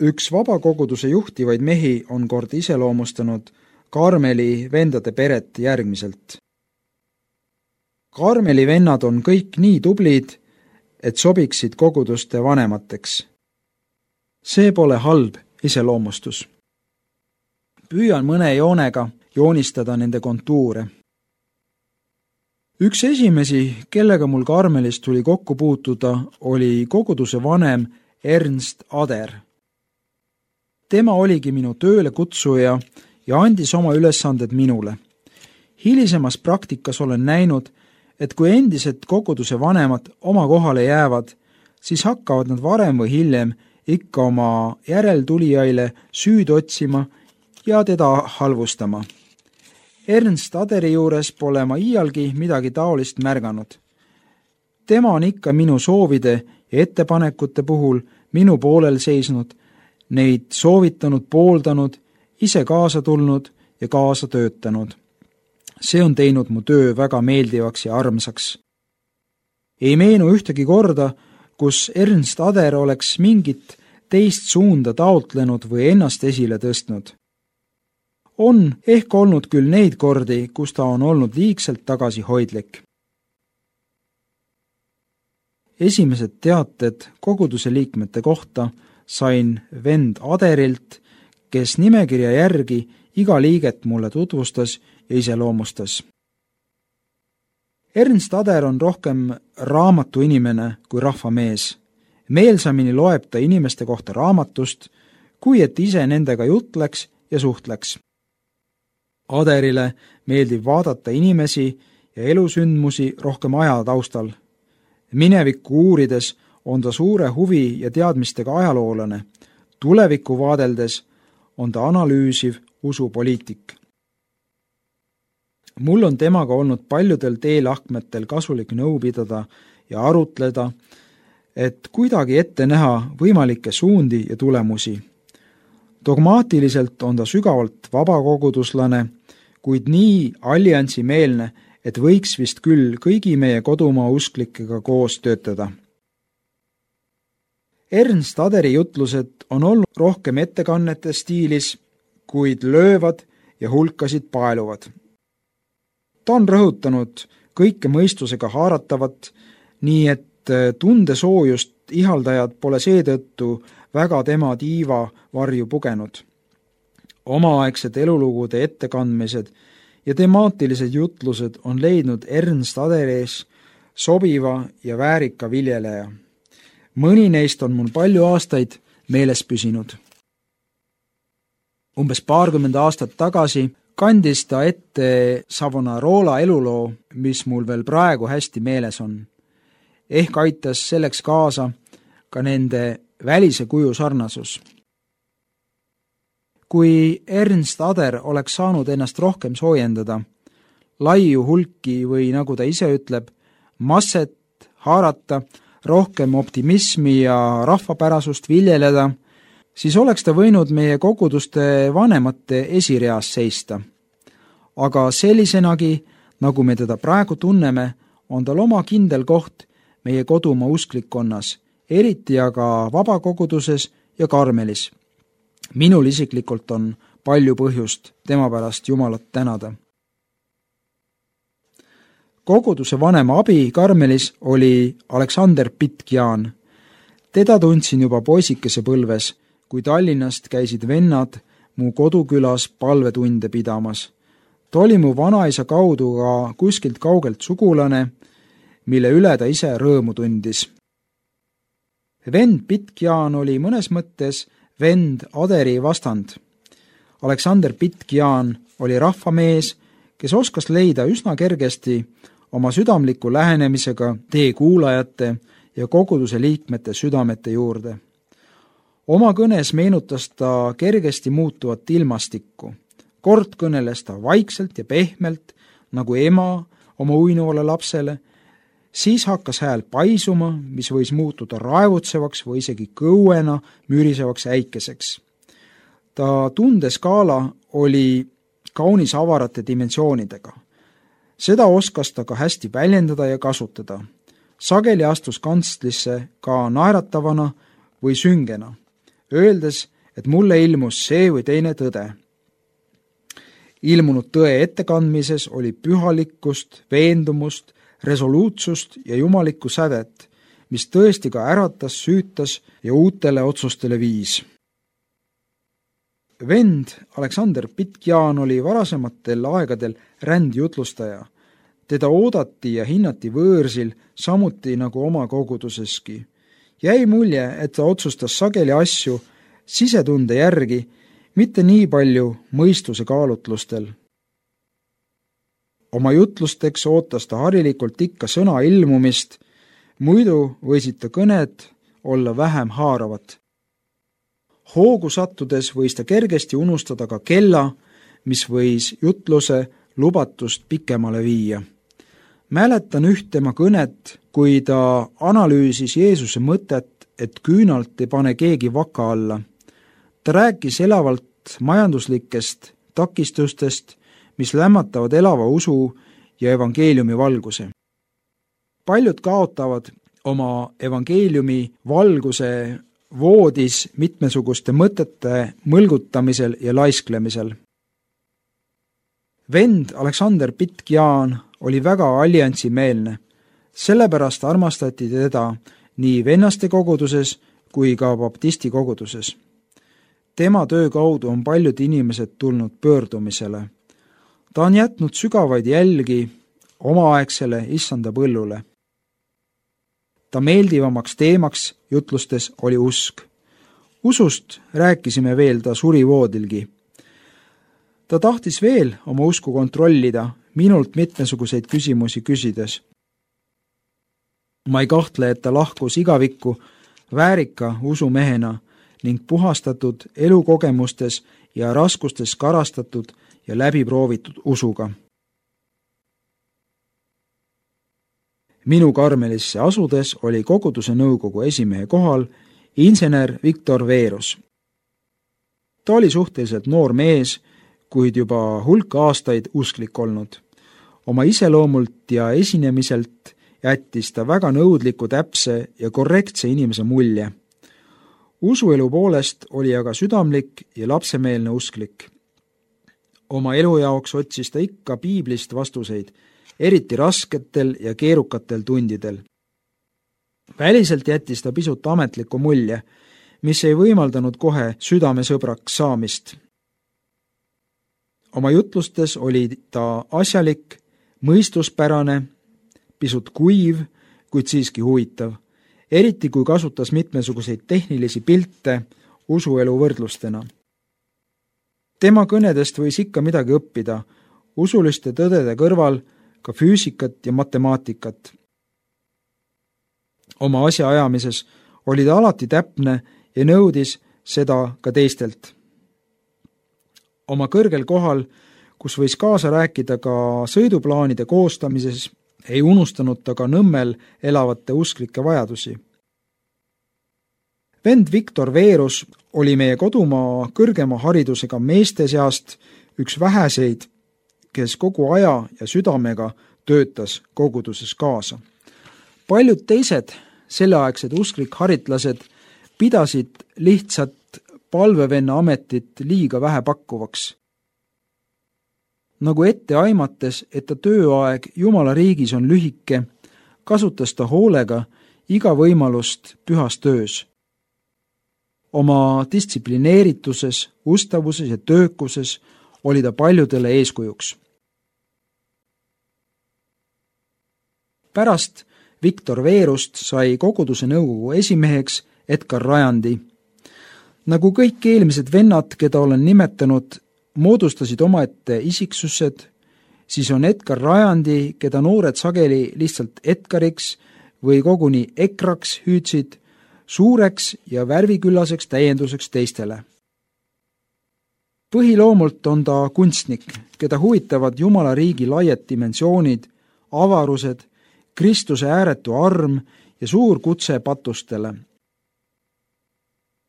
Üks vabakoguduse juhtivaid mehi on kord iseloomustanud Karmeli vendade peret järgmiselt. Karmeli vennad on kõik nii tublid, et sobiksid koguduste vanemateks. See pole halb iseloomustus. Püüan mõne joonega joonistada nende kontuure. Üks esimesi, kellega mul Karmelis tuli kokku puutuda, oli koguduse vanem Ernst Ader. Tema oligi minu tööle kutsuja ja andis oma ülesanded minule. Hilisemas praktikas olen näinud, et kui endised koguduse vanemad oma kohale jäävad, siis hakkavad nad varem või hiljem ikka oma järeltulijaile süüd otsima ja teda halvustama. Ernst Aderi juures pole ma iialgi midagi taolist märganud. Tema on ikka minu soovide ja ettepanekute puhul minu poolel seisnud, neid soovitanud, pooldanud, ise kaasa tulnud ja kaasa töötanud. See on teinud mu töö väga meeldivaks ja armsaks. Ei meenu ühtegi korda, kus Ernst Ader oleks mingit teist suunda taotlenud või ennast esile tõstnud. On ehk olnud küll neid kordi, kus ta on olnud liigselt tagasihoidlik. Esimesed teated koguduse liikmete kohta sain vend Aderilt, kes nimekirja järgi iga liiget mulle tutvustas ja iseloomustas. Ernst Ader on rohkem raamatuinimene kui rahvamees. Meelsamini loeb ta inimeste kohta raamatust, kui et ise nendega jutleks ja suhtleks. Aderile meeldib vaadata inimesi ja elusündmusi rohkem aja taustal. Minevikku uurides on ta suure huvi ja teadmistega ajaloolane. Tulevikku vaadeldes on ta analüüsiv usupoliitik. Mul on temaga olnud paljudel teelahkmetel kasulik nõu pidada ja arutleda, et kuidagi ette näha võimalikke suundi ja tulemusi. Dogmaatiliselt on ta sügavalt vabakoguduslane, kuid nii alliansimeelne, et võiks vist küll kõigi meie kodumaa usklikega koos töötada. Ernst Aderi jutlused on olnud rohkem ettekannete stiilis, kuid löövad ja hulkasid paeluvad. Ta on rõhutanud kõike mõistusega haaratavat, nii et tundesoojust ihaldajad pole seetõttu väga tema tiiva varju pugenud. Omaaegsed elulugude ettekandmised ja temaatilised jutlused on leidnud Ernst Aderis sobiva ja väärika viljeleja. Mõni neist on mul palju aastaid meeles püsinud. Umbes 20 aastat tagasi kandis ta ette Savonarola eluloo, mis mul veel praegu hästi meeles on. Ehk aitas selleks kaasa ka nende välise kuju sarnasus. Kui Ernst Ader oleks saanud ennast rohkem soojendada, laiu hulki või nagu ta ise ütleb, masset haarata, rohkem optimismi ja rahvapärasust viljeleda, siis oleks ta võinud meie koguduste vanemate esireas seista. Aga sellisenagi, nagu me teda praegu tunneme, on tal oma kindel koht meie kodumaa usklikkonnas, eriti aga vabakoguduses ja Karmelis. Minul isiklikult on palju põhjust tema pärast Jumalat tänada. Koguduse vanema abi Karmelis oli Aleksander Pitkian. Teda tundsin juba poisikese põlves, kui Tallinnast käisid vennad mu kodukülas palvetunde pidamas. Ta oli mu vanaisa kaudu ka kuskilt kaugelt sugulane, mille üle ta ise rõõmu tundis. Vend Pitkian oli mõnes mõttes vend Aderi vastand. Aleksander Pitkian oli rahvamees, kes oskas leida üsna kergesti oma südamliku lähenemisega tee kuulajate ja koguduse liikmete südamete juurde. Oma kõnes meenutas ta kergesti muutuvat ilmastikku. Kord kõneles ta vaikselt ja pehmelt, nagu ema oma uinuvale lapsele, siis hakkas hääl paisuma, mis võis muutuda raevutsevaks või isegi kõuena mürisevaks äikeseks. Ta tundeskaala oli kaunis avarate dimensioonidega. Seda oskas ta ka hästi väljendada ja kasutada. Sageli astus kantslisse ka naeratavana või süngena. öeldes, et mulle ilmus see või teine tõde. Ilmunud tõe ettekandmises oli pühalikkust, veendumust, resoluutsust ja jumalikku sädet, mis tõesti ka äratas, süütas ja uutele otsustele viis. Vend Aleksander Pitjaan oli varasematel aegadel rändjutlustaja. Teda oodati ja hinnati võõrsil, samuti nagu oma koguduseski. Jäi mulje, et ta otsustas sageli asju sisetunde järgi, mitte nii palju mõistuse kaalutlustel. Oma jutlusteks ootas ta harilikult ikka sõna ilmumist, muidu võisid ta kõned olla vähem haaravad. Hoogu sattudes võis ta kergesti unustada ka kella, mis võis jutluse lubatust pikemale viia. Mäletan üht tema kõnet, kui ta analüüsis Jeesuse mõtet, et küünalt ei pane keegi vaka alla. Ta rääkis elavalt majanduslikest takistustest, mis lämmatavad elava usu ja evangeeliumi valguse. Paljud kaotavad oma evangeeliumi valguse voodis mitmesuguste mõtete mõlgutamisel ja laisklemisel. Vend Aleksander Pitjaan oli väga alliansimeelne, sellepärast armastati teda nii vennaste koguduses kui ka baptisti koguduses. Tema töö kaudu on paljud inimesed tulnud pöördumisele. Ta on jätnud sügavaid jälgi omaaegsele issanda põllule. Ta meeldivamaks teemaks jutlustes oli usk. Usust rääkisime veel ta surivoodilgi. Ta tahtis veel oma usku kontrollida, minult mitmesuguseid küsimusi küsides. Ma ei kahtle, et ta lahkus igavikku väärika usumehena ning puhastatud elukogemustes ja raskustes karastatud ja läbiproovitud usuga. Minu Karmelisse asudes oli koguduse nõukogu esimehe kohal insener Viktor Veerus. Ta oli suhteliselt noor mees, kuid juba hulk aastaid usklik olnud. Oma iseloomult ja esinemiselt jättis ta väga nõudliku, täpse ja korrektse inimese mulje. Usuelu poolest oli aga südamlik ja lapsemeelne usklik. Oma elu jaoks otsis ta ikka piiblist vastuseid, eriti rasketel ja keerukatel tundidel. Väliselt jättis ta pisut ametliku mulje, mis ei võimaldanud kohe südamesõbraks saamist. Oma jutlustes oli ta asjalik, mõistuspärane, pisut kuiv, kuid siiski huvitav, eriti kui kasutas mitmesuguseid tehnilisi pilte usuelu võrdlustena. Tema kõnedest võis ikka midagi õppida, usuliste tõdede kõrval ka füüsikat ja matemaatikat. Oma asjaajamises oli ta alati täpne ja nõudis seda ka teistelt. Oma kõrgel kohal, kus võis kaasa rääkida ka sõiduplaanide koostamises, ei unustanud ta ka Nõmmel elavate usklike vajadusi. Vend Viktor Veerus oli meie kodumaa kõrgema haridusega meeste seast üks väheseid, kes kogu aja ja südamega töötas koguduses kaasa. Paljud teised selleaegsed usklik-haritlased pidasid lihtsalt palvevenna ametit liiga vähe pakkuvaks. Nagu ette aimates, et ta tööaeg Jumala riigis on lühike, kasutas ta hoolega iga võimalust pühas töös. Oma distsiplineerituses, ustavuses ja töökuses oli ta paljudele eeskujuks. Pärast Viktor Veerust sai koguduse nõukogu esimeheks Edgar Rajandi. Nagu kõik eelmised vennad, keda olen nimetanud, moodustasid omaette isiksused, siis on Edgar Rajandi, keda noored sageli lihtsalt Edgariks või koguni Ekraks hüüdsid, suureks ja värviküllaseks täienduseks teistele. Põhiloomult on ta kunstnik, keda huvitavad Jumala riigi laiad dimensioonid, avarused, Kristuse ääretu arm ja suur kutse patustele.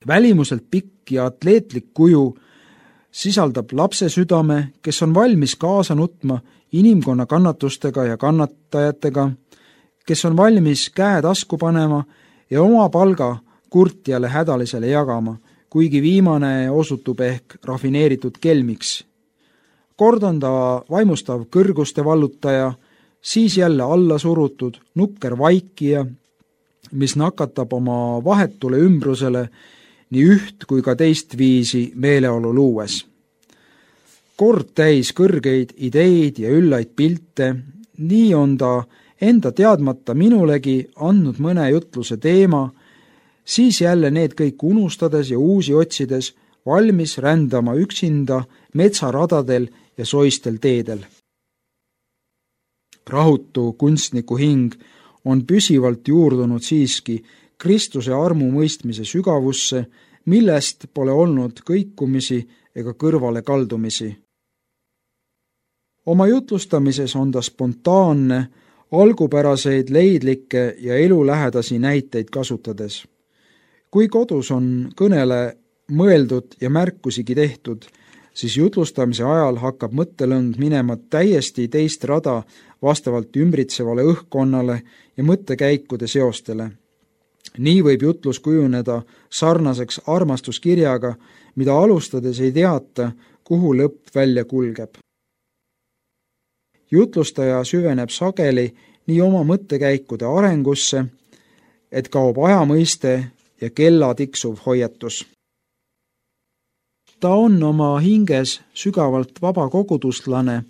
Välimuselt pikk ja atleetlik kuju sisaldab lapse südame, kes on valmis kaasa nutma inimkonna kannatustega ja kannatajatega, kes on valmis käe tasku panema ja oma palga kurtjale hädalisele jagama, kuigi viimane osutub ehk rafineeritud kelmiks. Kord on ta vaimustav kõrguste vallutaja, siis jälle alla surutud nukker vaikija, mis nakatab oma vahetule ümbrusele nii üht kui ka teist viisi meeleolu luues. Kord täis kõrgeid ideid ja üllaid pilte, nii on ta enda teadmata minulegi andnud mõne jutluse teema, siis jälle need kõik unustades ja uusi otsides valmis rändama üksinda metsaradadel ja soistel teedel. Rahutu kunstniku hing on püsivalt juurdunud siiski Kristuse armu mõistmise sügavusse, millest pole olnud kõikumisi ega kõrvale kaldumisi. Oma jutlustamises on ta spontaanne, algupäraseid leidlikke ja elulähedasi näiteid kasutades. Kui kodus on kõnele mõeldud ja märkusigi tehtud, siis jutlustamise ajal hakkab mõttelõng minema täiesti teist rada vastavalt ümbritsevale õhkkonnale ja mõttekäikude seostele. Nii võib jutlus kujuneda sarnaseks armastuskirjaga, mida alustades ei teata, kuhu lõpp välja kulgeb. Jutlustaja süveneb sageli nii oma mõttekäikude arengusse, et kaob ajamõiste ja kella tiksuv hoiatus. Ta on oma hinges sügavalt vaba kogudustlane,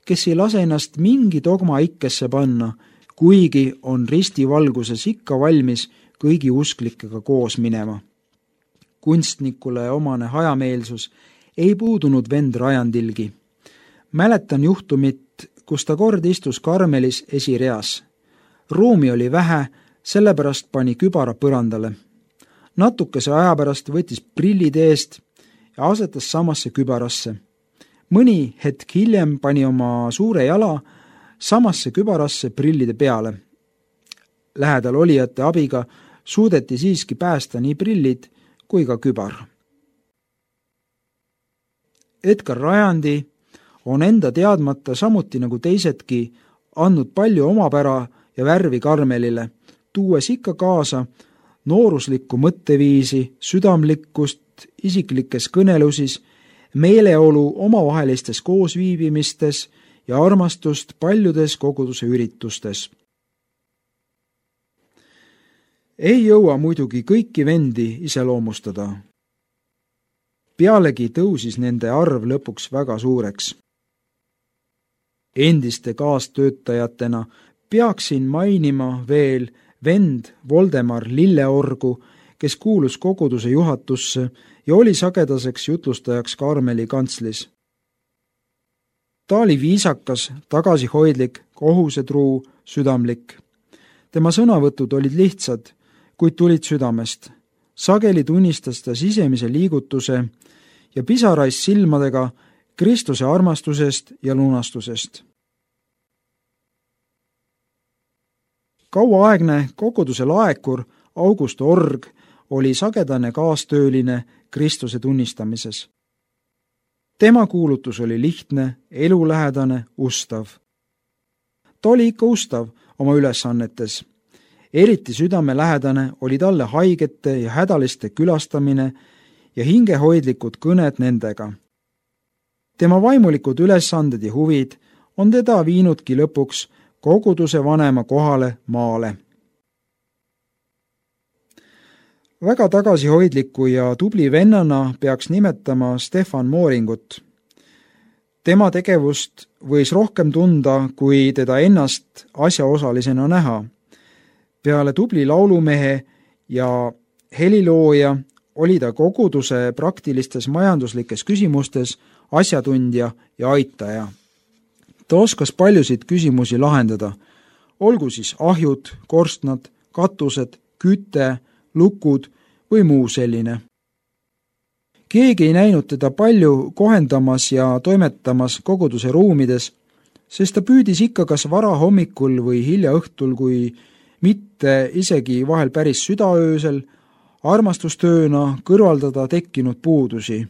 kes ei lase ennast mingi dogma ikkesse panna, kuigi on ristivalguses ikka valmis kõigi usklikega koos minema. Kunstnikule omane hajameelsus ei puudunud vend Rajandilgi. Mäletan juhtumit, kus ta kord istus Karmelis esireas. Ruumi oli vähe, sellepärast pani kübara põrandale. Natukese aja pärast võttis prillid eest ja asetas samasse kübarasse. Mõni hetk hiljem pani oma suure jala samasse kübarasse prillide peale. Lähedal olijate abiga suudeti siiski päästa nii prillid kui ka kübar. Edgar Rajandi on enda teadmata samuti nagu teisedki andnud palju omapära ja värvi Karmelile, tuues ikka kaasa nooruslikku mõtteviisi, südamlikkust isiklikes kõnelusis, meeleolu omavahelistes koosviibimistes ja armastust paljudes koguduse üritustes. Ei jõua muidugi kõiki vendi iseloomustada. Pealegi tõusis nende arv lõpuks väga suureks. Endiste kaastöötajatena peaksin mainima veel vend Voldemar Lilleorgu, kes kuulus koguduse juhatusse ja oli sagedaseks jutlustajaks Karmeli kantslis. Ta oli viisakas, tagasihoidlik, kohusetruu, südamlik. Tema sõnavõtud olid lihtsad, kuid tulid südamest. Sageli tunnistas ta sisemise liigutuse ja pisarais silmadega Kristuse armastusest ja lunastusest. Kauaaegne koguduse laekur August Org oli sagedane kaastööline Kristuse tunnistamises. Tema kuulutus oli lihtne, elulähedane, ustav. Ta oli ikka ustav oma ülesannetes. Eriti südamelähedane oli talle haigete ja hädaliste külastamine ja hingehoidlikud kõned nendega. Tema vaimulikud ülesanded ja huvid on teda viinudki lõpuks koguduse vanema kohale maale. Väga tagasihoidliku ja tubli vennana peaks nimetama Stefan Mooringut. Tema tegevust võis rohkem tunda, kui teda ennast asjaosalisena näha. Peale tubli laulumehe ja helilooja oli ta koguduse praktilistes majanduslikes küsimustes asjatundja ja aitaja. Ta oskas paljusid küsimusi lahendada, olgu siis ahjud, korstnad, katused, küte, lukud või muu selline. Keegi ei näinud teda palju kohendamas ja toimetamas koguduse ruumides, sest ta püüdis ikka kas vara hommikul või hilja õhtul, kui mitte isegi vahel päris südaöösel, armastustööna kõrvaldada tekkinud puudusi.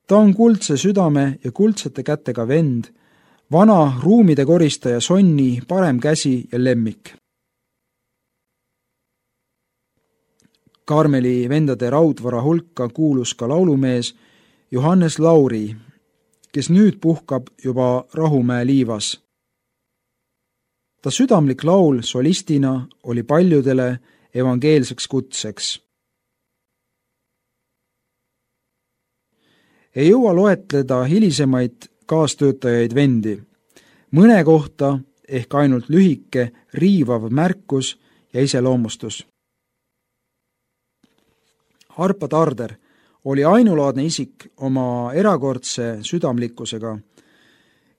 Ta on kuldse südame ja kuldsete kätega vend, vana ruumide koristaja Sonni parem käsi ja lemmik. Karmeli vendade raudvara hulka kuulus ka laulumees Johannes Lauri, kes nüüd puhkab juba Rahumäe liivas. Ta südamlik laul solistina oli paljudele evangeelseks kutseks. Ei jõua loetleda hilisemaid kaastöötajaid vendi. Mõne kohta ehk ainult lühike riivav märkus ja iseloomustus. Arpa Tarder oli ainulaadne isik oma erakordse südamlikkusega,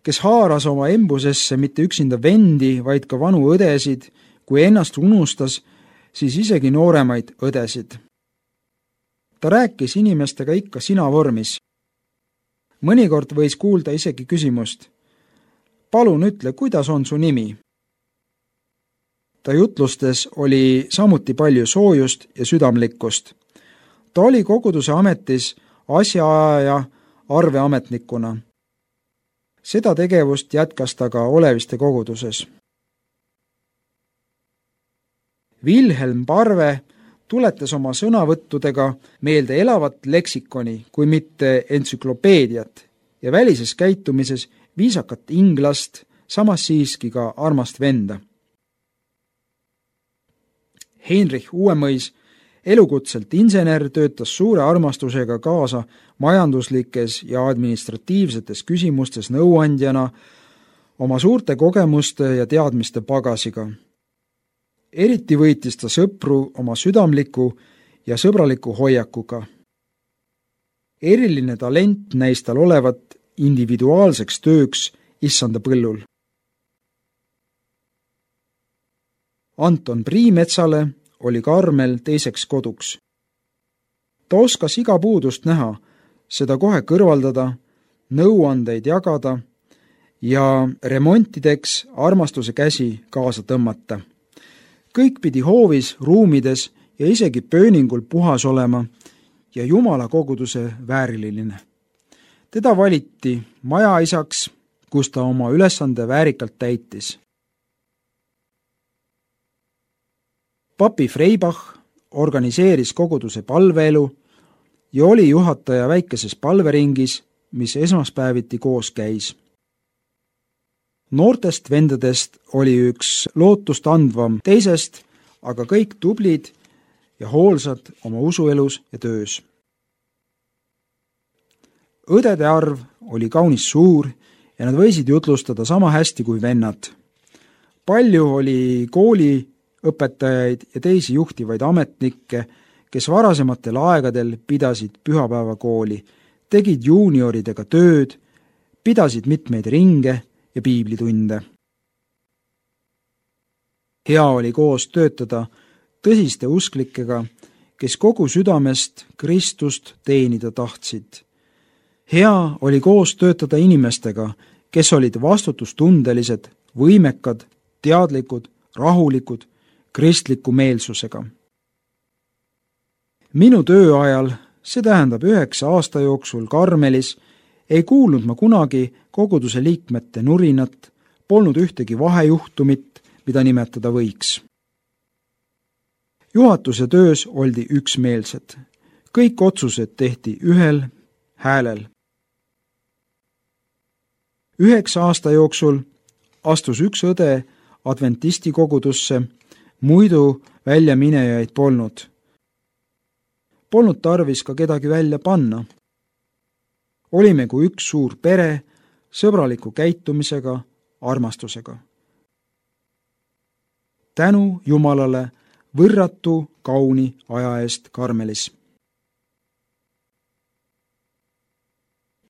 kes haaras oma embusesse mitte üksinda vendi, vaid ka vanu õdesid, kui ennast unustas, siis isegi nooremaid õdesid. Ta rääkis inimestega ikka sina vormis. Mõnikord võis kuulda isegi küsimust: palun ütle, kuidas on su nimi? Ta jutlustes oli samuti palju soojust ja südamlikkust. Ta oli koguduse ametis asjaaja arveametnikuna. Seda tegevust jätkas ta ka Oleviste koguduses. Vilhelm Parve tuletas oma sõnavõttudega meelde elavat leksikoni, kui mitte entsüklopeediat, ja välises käitumises viisakat inglast, samas siiski ka armast venda. Heinrich Uuemõis, elukutselt insener, töötas suure armastusega kaasa majanduslikes ja administratiivsetes küsimustes nõuandjana oma suurte kogemuste ja teadmiste pagasiga. Eriti võitis ta sõpru oma südamliku ja sõbraliku hoiakuga. Eriline talent näis tal olevat individuaalseks tööks issanda põllul. Anton Priimetsale oli Karmel teiseks koduks. Ta oskas iga puudust näha, seda kohe kõrvaldada, nõuandeid jagada ja remontideks armastuse käsi kaasa tõmmata. Kõik pidi hoovis, ruumides ja isegi pööningul puhas olema ja Jumala koguduse vääriline. Teda valiti majaisaks, kus ta oma ülesande väärikalt täitis. Papi Freibach organiseeris koguduse palveelu ja oli juhataja väikeses palveringis, mis esmaspäeviti koos käis. Noortest vendadest oli üks lootust andvam teisest, aga kõik tublid ja hoolsad oma usuelus ja töös. Õdede arv oli kaunis suur ja nad võisid jutlustada sama hästi kui vennad. Palju oli kooliõpetajaid ja teisi juhtivaid ametnikke, kes varasematel aegadel pidasid pühapäevakooli, tegid juunioridega tööd, pidasid mitmeid ringe ja piiblitunde. Hea oli koos töötada tõsiste usklikega, kes kogu südamest Kristust teenida tahtsid. Hea oli koos töötada inimestega, kes olid vastutustundelised, võimekad, teadlikud, rahulikud, kristliku meelsusega. Minu tööajal, see tähendab 9 aasta jooksul Karmelis, ei kuulnud ma kunagi koguduse liikmete nurinat, polnud ühtegi vahejuhtumit, mida nimetada võiks. Juhatuse töös oldi üksmeelsed. Kõik otsused tehti ühel häälel. 9 aasta jooksul astus üks õde adventisti kogudusse, muidu väljaminejaid polnud. Polnud tarvis ka kedagi välja panna. Olime kui üks suur pere, sõbraliku käitumisega, armastusega. Tänu Jumalale võrratu kauni aja eest Karmelis.